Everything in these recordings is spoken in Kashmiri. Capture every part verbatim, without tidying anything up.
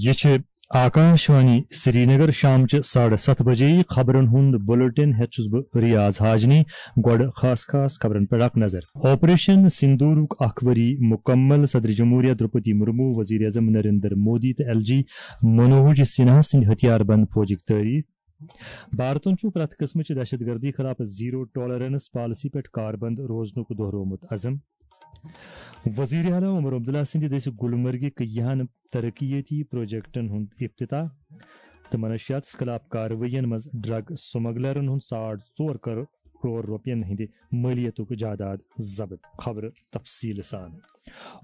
یہِ چھِ آکاشوانی سرینگر۔ شامچہِ ساڑٕ ستھ بجے خبرن ہُنٛد بلیٹن ہٮ۪تھ چھُس بہٕ ریاض حاجنی۔ گۄڈٕ خاص خاص خبرن پٮ۪ٹھ اکھ نظر۔ آپریشن سندوٗرُک اکھ ؤری مُکمل، صدر جمہوریہ درٛوپدی مُرموٗ، وزیر اعظم نریندر مودی تہٕ ایل جی منوج سنہا سٕنٛدۍ ہتھیار بند فوجٕکۍ تعریف۔ بھارتن چھُ پرٛٮ۪تھ قٕسمٕچہِ دہشت گردی خلاف زیرو ٹالرنس پالیسی پٮ۪ٹھ کاربند روزنُک دۄہرومُت عزم۔ وزیر اعلیٰ عمر عبداللہ سٕنٛدِ دٔسۍ گلمرگہِ کیاہن ترقیتی پروجیکٹن ہُنٛد افتتاح تہٕ منشیاتس خلاف کاروٲیین منٛز ڈرگ سمگلرن ہُنٛد ساڑ ژور کرور رۄپین ہٕنٛدِ مٲلیتُک جائیداد ضبط۔ خبرٕ تفصیٖل سان۔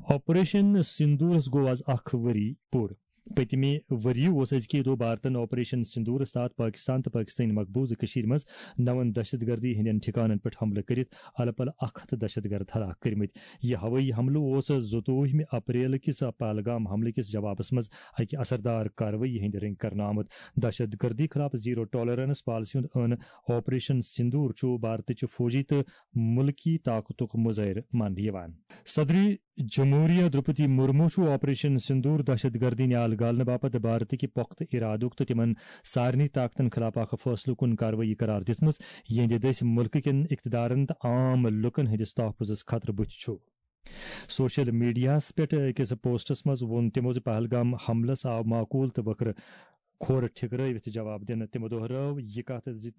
آپریشن سندورس گوٚو آز اکھ ؤری پوٗرٕ۔ پٔتمہِ ؤرۍ یہِ اوس أزکہِ دۄہ بھارتن آپریشن سندورس تحت پاکستان تہٕ پاکستٲنۍ مقبوضہٕ کٔشیٖرِ منٛز نون دہشت گردی ہٕنٛدٮ۪ن ٹھکانن پٮ۪ٹھ حملہٕ کٔرِتھ الہٕ پلہٕ اکھ ہتھ دہشت گرد ہلاک کٔرمٕتۍ۔ یہِ ہوٲیی حملہٕ اوس زٕتووُہمہِ اپریل کِس پہلگام حملہٕ کِس جوابس منٛز اکہِ اثردار کاروٲیی ہٕنٛدِ رٔنگۍ کرنہٕ آمُت۔ دہشت گردی خلاف زیرو ٹالرنس پالیسی ہُنٛد عٲن آپریشن سندور چھُ بھارتٕچہِ فوجی تہٕ مُلکی طاقتُک مظٲہرٕ ماننہٕ یِوان۔ صدر جمہوریہ درٛوپدی مُرموٗ چھُ آپریشن سندور دہشت گردی نیال گالنہٕ باپتھ بھارتٕکہِ پۄختہٕ ارادُک تہٕ تِمن سارنٕے طاقتن خلاف اکھ فٲصلہٕ کُن کاروٲیی قرار دِژمٕژ، یِہنٛدِ دٔسۍ مُلکہٕ کٮ۪ن اقتدارن تہٕ عام لُکن ہٕنٛدِس تحفظس خطرٕ بُتھِ چھُ۔ سوشل میڈیاہَس پٮ۪ٹھ أکِس پوسٹَس منٛز ووٚن تِمو زِ پہلگام حملَس آو معقول تہٕ وٕکھرٕ کھۄر ٹھِکرٲوِتھ جواب دِنہٕ۔ تِمو دۄہرٲو یہِ کَتھ زِ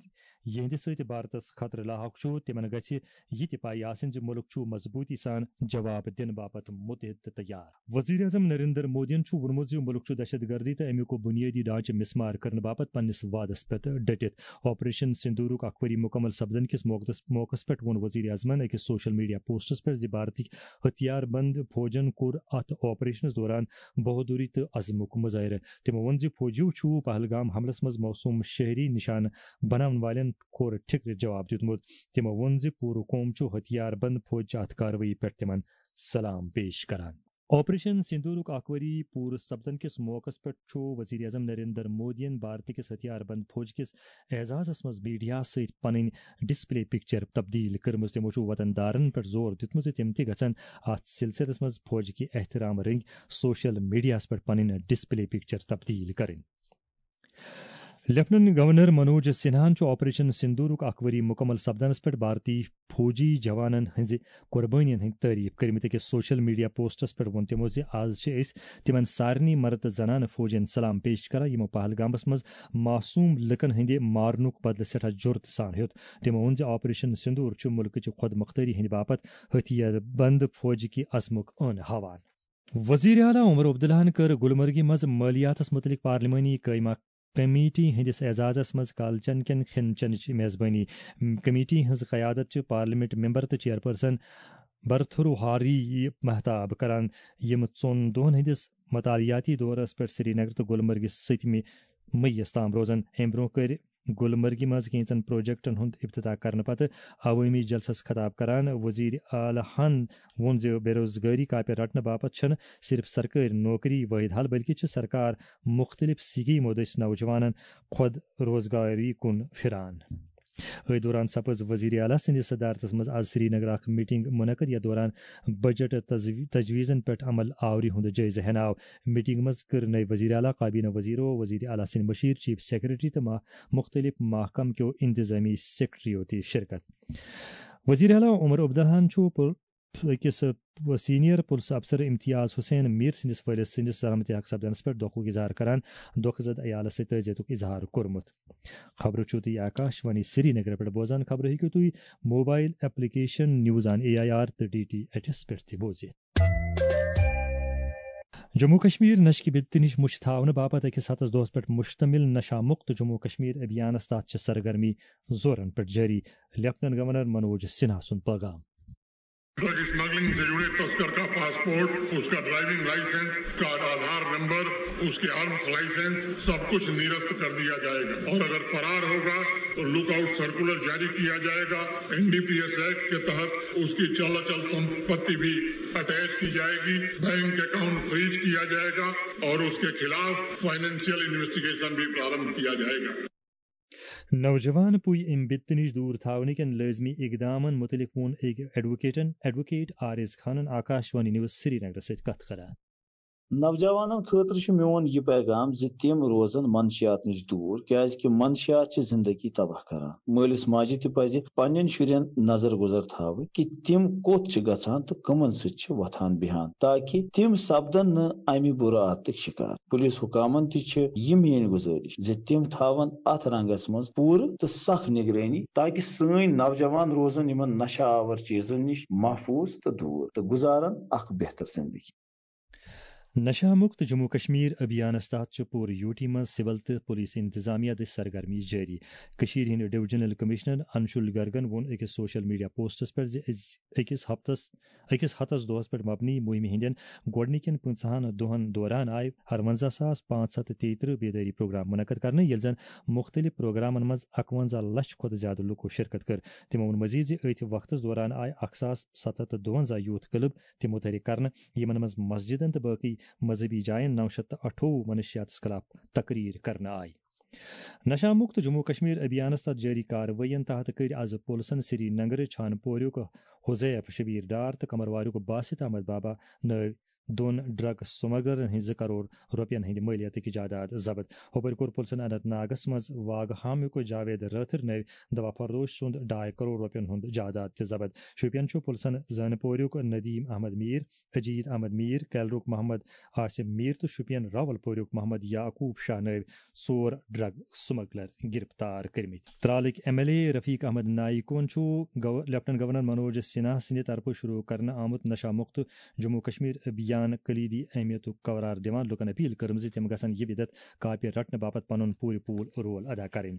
یِہنٛدِ سۭتۍ بھارتَس خطرٕ لاحق چھُ، تِمَن گژھِ یہِ تہِ پَے آسٕنۍ زِ مُلُک چھُ مضبوٗطی سان جواب دِنہٕ باپتھ مُتحد تہٕ تیار۔ وزیر اعظم نریندر مودیَن چھُ ووٚنمُت زِ مُلُک چھُ دہشت گردی تہٕ اَمیُک بُنیٲدی ڈھانچہٕ مِسمار کرنہٕ باپتھ پننِس وعدَس پٮ۪ٹھ ڈٔٹِتھ۔ آپریشن سندورُک اکھ ؤری مُکمل سپدن کِس موقعس، موقعس پٮ۪ٹھ ووٚن وزیر اعظمَن أکِس سوشل میڈیا پوسٹَس پٮ۪ٹھ زِ بھارتٕکۍ ہتھیار بند فوجَن کوٚر اَتھ آپریشنَس دوران بہادری تہٕ عزمُک مظٲہرٕ۔ تِمو ووٚن زِ فوجیو چھُ پہلگام حملَس منٛز معصوم شہری نشانہٕ بناون والٮ۪ن کھۄر ٹھِکرِ جواب دیُتمُت۔ تِمو ووٚن زِ پوٗرٕ قوم چھُ ہتھیار بند فوج چہِ اَتھ کاروٲیی پٮ۪ٹھ تِمن سلام پیش کران۔ آپریشن سندورُک اکھ ؤری پوٗرٕ سپدن کِس موقعس پٮ۪ٹھ چھُ وزیر اعظم نریندر مودیَن بھارت کِس ہتھیار بند فوج کِس اعزازَس منٛز میڈیاہَس سۭتۍ پنٕنۍ ڈسپلے پکچر تبدیل کٔرمٕژ۔ تِمو چھُ وطن دارن پٮ۪ٹھ زور دیُتمُت زِ تِم تہِ گژھن اَتھ سلسلس منٛز فوج کہِ احترام رٔنگۍ سوشل میڈیاہَس پٮ۪ٹھ پنٕنۍ ڈسپلے پکچر تبدیل کرٕنۍ۔ لیفٹیننٹ گورنر منوج سنہاہن چھُ آپریشن سندورُک اکھ ؤری مُکمل سپدنس پٮ۪ٹھ بھارتی فوجی جوانن ہٕنٛزِ قربٲنین ہٕنٛدۍ تعریف کٔرمٕتۍ۔ أکِس سوشل میڈیا پوسٹس پٮ۪ٹھ ووٚن تِمو زِ آز چھِ أسۍ تِمن سارنٕے مرد تہٕ زنانہٕ فوجین سلام پیش کران، یِمو پہلگامس منٛز معصوم لُکن ہٕنٛدِ مارنُک بدلہٕ سٮ۪ٹھاہ جرتہٕ سان ہیوٚت۔ تِمو ووٚن زِ آپریشن سندور چھُ مُلکٕچہِ خۄد مۄختٲری ہٕنٛدِ باپتھ ہتھیار بند فوجہِ کہِ عزمُک عٲن ہاوان۔ وزیر اعلیٰ عمر عبداللہن کٔر گلمرگہِ منٛز مٲلیاتس مُتعلق پارلیمانی قٲیمہ کمیٹی ہٕنٛدِس اعزازس منٛز کالچن کٮ۪ن کھٮ۪ن چٮ۪نٕچ میزبٲنی۔ کمیٹی ہٕنٛز قیادت چھِ پارلیمنٹ ممبر تہٕ چیئرپرسن برتھروہاری مہتاب کران، یِم ژۄن دۄہن ہٕنٛدِس مطالعاتی دورس پٮ۪ٹھ سرینگر تہٕ گلمرگہِ سٔتمہِ مئیس تام روزن۔ امہِ برونٛہہ کٔرۍ گلمرگہِ منٛز کینٛژن پروجیکٹن ہُنٛد افتتاح کرنہٕ پتہٕ عوٲمی جلسس خطاب کران وزیر اعلیٰ ہن ووٚن زِ بے روزگٲری کاپہِ رٹنہٕ باپتھ چھنہٕ صرف سرکٲرۍ نوکری وٲحد حل، بلکہِ چھِ سرکار مُختٔلِف سکیمو دٔسۍ نوجوانن خۄد روزگاری کُن پھران۔ أتھۍ دوران سپٕز وزیر اعلیٰ سٕنٛدِس صدارتس منٛز آز سرینگر اکھ میٹنگ منعقد، یتھ دوران بجٹ تجوی-، تجویزن پٮ۪ٹھ عمل آوری ہُنٛد جٲیزٕ ہٮ۪نہٕ آو۔ میٹنگ منٛز کٔر نٔوۍ وزیر اعلیٰ، کابینہ وزیرو، وزیر اعلیٰ سٕنٛدۍ مشیر، چیف سیکرٹری تہٕ ما-، مُختٔلِف محکمہٕ کیو انتظامی سیکرٹریو تہِ شرکت۔ وزیر اعلیٰ عمر عبداللہن چھُ پُل-، أکِس سینئر پُلس افسر امتیاز حسین میر سٕنٛدِس وٲلِد سٕنٛدِس سلامتی حق سپدنس پٮ۪ٹھ دۄکھُک اظہار کران دۄکھٕ زد عیالس سۭتۍ تعزیتُک اظہار کوٚرمُت۔ خبرٕ چھِو تُہۍ آکاشوانی سرینگر پٮ۪ٹھ بوزان۔ خبرٕ ہیٚکِو تُہۍ mobile application news on A I R تہٕ ڈی ٹی ایچ ایس پٮ۪ٹھ تہِ بوٗزِتھ۔ جموں کشمیر نشہٕ کہِ بِدتہٕ نِش مُچھ تھاونہٕ باپتھ أکِس ہتس دۄہس پٮ۪ٹھ مشتمل نشہ مکت جموں کشمیر ابھیانس تحت چھِ سرگرمی زورن پٮ۪ٹھ جٲری۔ لیفٹیننٹ گورنر منوج سنہا سُنٛد پیغام۔ ڈرگ اسمگلنگ سے جڑے تسکر کا پاسپورٹ، اس کا ڈرائیونگ لائسنس، اس کا آدھار نمبر، اس کے آرمز لائسنس، سب کچھ نرست کر دیا جائے گا اور اگر فرار ہوگا تو لک آؤٹ سرکولر جاری کیا جائے گا۔ N D P S act کے تحت اس کی چل اچل سمپتی بھی اٹیچ کی جائے گی، بینک اکاؤنٹ فریز کیا جائے گا اور اس کے خلاف فائنینشیل انویسٹیگیشن بھی پرارمبھ کیا جائے گا۔ نوجوان پُے اَمہِ بِدتہٕ نِش دوٗر تھاونہٕ کٮ۪ن لٲزمی اقدامن مُتعلق ووٚن أکۍ ایڈووکیٹن، ایڈووکیٹ عارض خانن آکاشوانی نیوز سرینگرس سۭتۍ کتھ کران۔ نوجوانن خٲطرٕ چھُ میون یہِ پیغام زِ تِم روزن منشیات نِش دوٗر، کیازِ کہِ منشیات چھِ زندگی تباہ کران۔ مٲلِس ماجہِ تہِ پزِ پننٮ۪ن شُرٮ۪ن نظر گُزر تھاوٕنۍ کہِ تِم کوٚت چھِ گژھان تہٕ کٕمن سۭتۍ چھِ وۄتھان بیہان، تاکہِ تِم سپدن نہٕ امہِ بُرٕ عادتٕکۍ شکار۔ پُلیٖس حکامن تہِ چھِ یہِ میٲنۍ گُزٲرِش زِ تِم تھاون اتھ رنگس منٛز پوٗرٕ تہٕ سخ نگرٲنی، تاکہِ سٲنۍ نوجوان روزن یِمن نشہ آور چیزن نِش محفوظ تہٕ دوٗر تہٕ گُزارن اکھ بہتر زندگی۔ نشہ مکت جموں کشمیر ابھیانس تحت چھُ پوٗرٕ یوٗ ٹی منٛز سول تہٕ پولیس انتظامیہ دٔسۍ سرگرمی جٲری۔ کٔشیٖرِ ہٕنٛدۍ ڈویژنل کمشنر انشول گرگن ووٚن أکِس سوشل میڈیا پوسٹس پٮ۪ٹھ زِ أز-، أکِس ہفتس أکِس ہتس دۄہس پٮ۪ٹھ مبنی مُہِمہِ ہٕنٛدٮ۪ن گۄڈٕنِکٮ۪ن پنٛژاہن دۄہن دوران آیہِ ارونزہ ساس پانٛژھ ہتھ تہٕ تیٚیہِ ترٕٛہ بیدٲری پروگرام منعقد کرنہٕ، ییٚلہِ زن مُختٔلِف پروگرامن منٛز اکونزہ لچھ کھۄتہٕ زیادٕ لوٗکو شرکت کٔر۔ تِمو ووٚن مزید زِ أتھۍ وقتس دوران آیہِ اکھ ساس ستھ ہتھ تہٕ دُونزہ یوٗتھ کلب تہِ مُتحرک کرنہٕ، یِمن منٛز مسجدن تہٕ باقٕے مذہبی جاین نو شیٚتھ تہٕ اَٹھووُہ منشیاتس خلاف تقریر کرنہٕ آیہِ۔ نشہ مکت جموں کشمیر ابھیانس تحت جٲری کاروٲیین تحت کٔرۍ از پُلسن سری نگرٕ چھانہٕ پوریُک حذیف شبیر ڈار تہٕ کمرواریُک باسط احمد بابا نٲوۍ دۄن ڈرگ سمگلرن ہٕنٛدۍ زٕ کرور رۄپین ہٕنٛدۍ مٲلیتٕکۍ جائیداد ضبط۔ ہُپٲرۍ کوٚر پُلسن اننت ناگس منٛز واگہامُک جاوید رٲتھٕر نٲوۍ دوا فروش سُنٛد ڈاے کرور رۄپین ہُنٛد جائیداد تہِ ضبط۔ شوپین چھُ پُلسن زٲنہٕ پوریُک ندیم احمد میر، اجیت احمد میر، کیلرُک محمد عاصم میر تہٕ شوپین راول پوریُک محمد یعقوب شاہ نٲوۍ ژور ڈرگ سمگلر گرفتار کٔرمٕتۍ۔ ترالٕکۍ ایم ایل اے رفیق احمد نائیکن چھُ گو-، لیفٹیننٹ گورنر منوج سنہا سٕنٛدِ طرفہٕ شروع کرنہٕ آمُت نشہ مکت جموں کشمیر ابھیان کلیدی اہمیتُک قرار دِوان لوٗکن اپیل کٔرمٕژ زِ تِم گژھن یہِ بدعت کاپہِ رٹنہٕ باپتھ پنُن پوٗرٕ پوٗرٕ رول ادا کرٕنۍ۔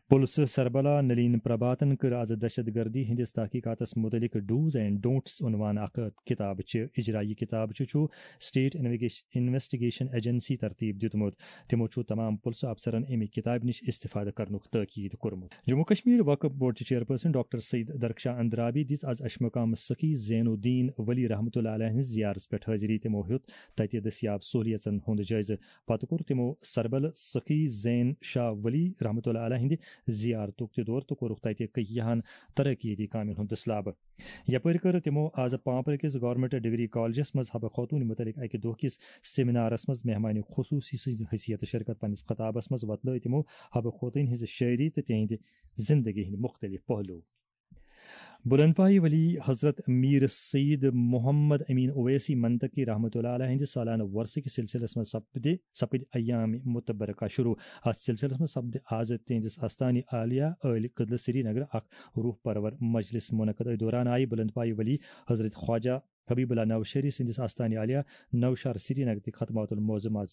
پُلسہٕ سربراہ نلین پربھاتن کٔر از دہشت گردی ہٕنٛدِس تحقیقاتس مُتعلق do's and don'ts عنوان اکھ کتاب چہِ اجرا۔ یہِ کتاب چھُ، چھُ اسٹیٹ انویگیش-، انویسٹیگیشن ایجنسی ترتیب دیُتمُت۔ تِمو چھُ تمام پُلسہٕ افسرن امہِ کتابہِ نِش استفادٕ کرنُک تاکید کوٚرمُت۔ جموں کشمیر وقف بورڈ چہِ چیئرپرسن ڈاکٹر سعید درخشاں اندرابی دِژ از اشمقام سخی زین الدین ولی رحمتہ اللہ علیہ ہٕنٛز زیارتس پٮ۪ٹھ حٲضری۔ تِمو ہیوٚت تتہِ دٔستیاب سہولیژن ہُنٛد جٲیزٕ۔ پتہٕ کوٚر تِمو سربل سخی زین شاہ ولی رحمتہ اللہ علیہ ہٕنٛدِ زیارتُک تہِ دورٕ تہٕ کوٚرُکھ تتہِ کیٚہن ترقیتی کامٮ۪ن ہُنٛد دٔسلابہٕ۔ یپٲرۍ کٔر تِمو از پانپرٕ کِس گورنمنٹ ڈگری کالجس منٛز حبہٕ خوتون مُتعلق اکہِ دۄہ کِس سیمینارس منٛز مہمان خصوصی سٕنٛزِ حیثیت شرکت۔ پننِس خطابس منٛز وۄتلٲے تِمو حبہٕ خوتون ہٕنٛز شٲعری تہٕ تِہنٛدِ زندگی ہٕنٛدۍ مُختٔلِف پہلو۔ بلند پایہِ ولی حضرت میر سید محمد امین اویسی منطقی رحمتہ اللہ علیہ ہٕنٛدِ سالانہٕ وۄرثہٕ کِس سلسلس منٛز سپدِ، سپٕدِ ایام متبرکہ شروع۔ اتھ سلسلس منٛز سپدِ از تِہنٛدِس آستانہِ عالیہ عٲلۍ قدلہٕ سری نگر اکھ روح پرور مجلس منعقد۔ أتھۍ دوران آیہِ بلند پایہِ ولی حضرت خواجہ حبیب اللہ نوشہری سٕنٛدِس آستانہِ عالیہ نوشہر سری نگر تہِ ختمات المعظم از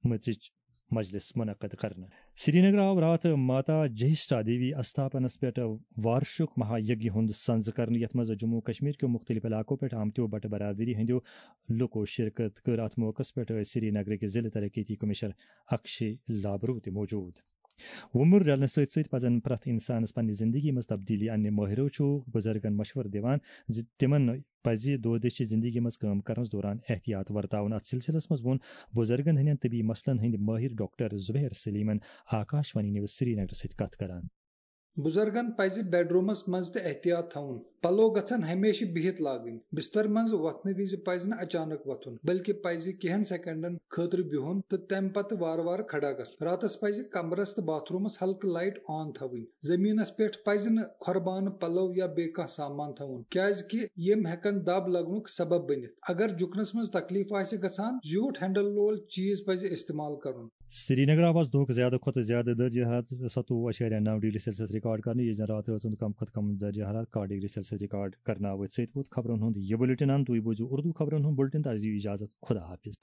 مژٕچ مجلس منعقد کرنہٕ۔ سری نگر آو راتھ ماتا جہشٹا دیوی استھاپنس پٮ۪ٹھ وارشک مہا یگیہ ہُنٛد سنز کرنہٕ، یتھ منٛز جموں کشمیر کیو مُختٔلِف علاقو پٮ۪ٹھ آمتیو بٹہٕ برادری ہٕنٛدیو لوٗکو شرکت کٔر۔ اتھ موقعس پٮ۪ٹھ ٲسۍ سری نگرٕکۍ ضلع ترقیتی کمشنر اکشے لابرو تہِ موجود۔ وُمر رلنہٕ سۭتۍ سۭتۍ پزن پرٛٮ۪تھ انسانس پننہِ زندگی منٛز تبدیلی اننہِ۔ مٲہرو چھُ بُزرگن مشورٕ دِوان زِ تِمن پزِ دۄہ دِشہِ زندگی منٛز کٲم کرنس دوران احتیاط ورتاوُن۔ اتھ سلسلس منٛز ووٚن بُزرگن ہٕنٛدٮ۪ن طبی مسلن ہٕنٛدۍ مٲہر ڈاکٹر زبیر سلیمن آکاشوانی نیوز سری نگر سۭتۍ کتھ کران۔ بُزرگن پزِ بیڈرومس منٛز تہِ احتیاط تھاوُن، پلو گژھن ہمیشہِ بِہِتھ لاگٕنۍ، بستر منٛز وۄتھنہٕ وِزِ پزِ نہٕ اچانک وۄتھُن، بلکہِ پزِ کینٛہن سیکنڈن خٲطرٕ بِہُن تہٕ تمہِ پتہٕ وارٕ وارٕ کھڑا گژھُن۔ راتس پزِ کمرس تہٕ باتھ رومس ہلکہٕ لایٹ آن تھاوٕنۍ۔ زمینس پٮ۪ٹھ پزِ نہٕ کھۄربانہٕ پلو یا بیٚیہِ کانٛہہ سامان تھاوُن، کیازِ کہِ یِم ہٮ۪کن دب لگنُک سبب بٔنِتھ۔ اگر جُکنس منٛز تکلیف آسہِ گژھان، زیوٗٹھ ہینڈل وول چیز پزِ استعمال کرُن۔ سرینگر آو از دۄہُک زیادٕ کھۄتہٕ زیادٕ درجہ حرارت ستووُہ اعشاریہ نو ڈگری سیلسیس ریکارڈ کرنہٕ، ییٚلہِ زن راتھ ٲژ ہُنٛد کم کھۄتہٕ کم درجہ حرارت کاہ ڈگری سیلسیس ریکارڈ کرنہٕ آو۔ أتھۍ سۭتۍ ووت خبرن ہُنٛد یہِ بُلٹن اند۔ تُہۍ بوٗزِو اردو خبرن ہُنٛد بُلٹن تہٕ اَسہِ دِیِو اجازت۔ خدا حافظ۔